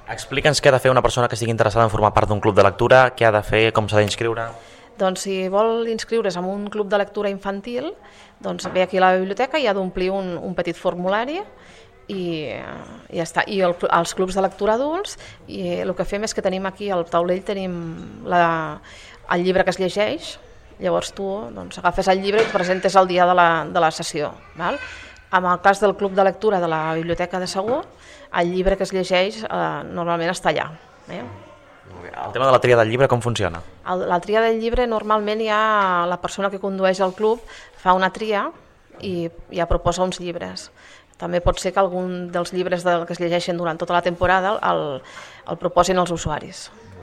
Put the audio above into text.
Explica'ns què ha de fer una persona que estigui interessada en formar part d'un club de lectura, què ha de fer, com s'ha d'inscriure. Doncs si vol inscriure's en un club de lectura infantil, doncs ve aquí a la biblioteca i ha d'omplir un petit formulari i ja està. I els clubs de lectura adults, i el que fem és que tenim aquí al taulell tenim el llibre que es llegeix, llavors tu doncs, agafes el llibre i et presentes el dia de la sessió. Val? En el cas del club de lectura de la Biblioteca de Segur, el llibre que es llegeix normalment està allà. El tema de la tria del llibre com funciona? La tria del llibre normalment la persona que condueix el club fa una tria i ja proposa uns llibres. També pot ser que algun dels llibres que es llegeixen durant tota la temporada el proposin els usuaris.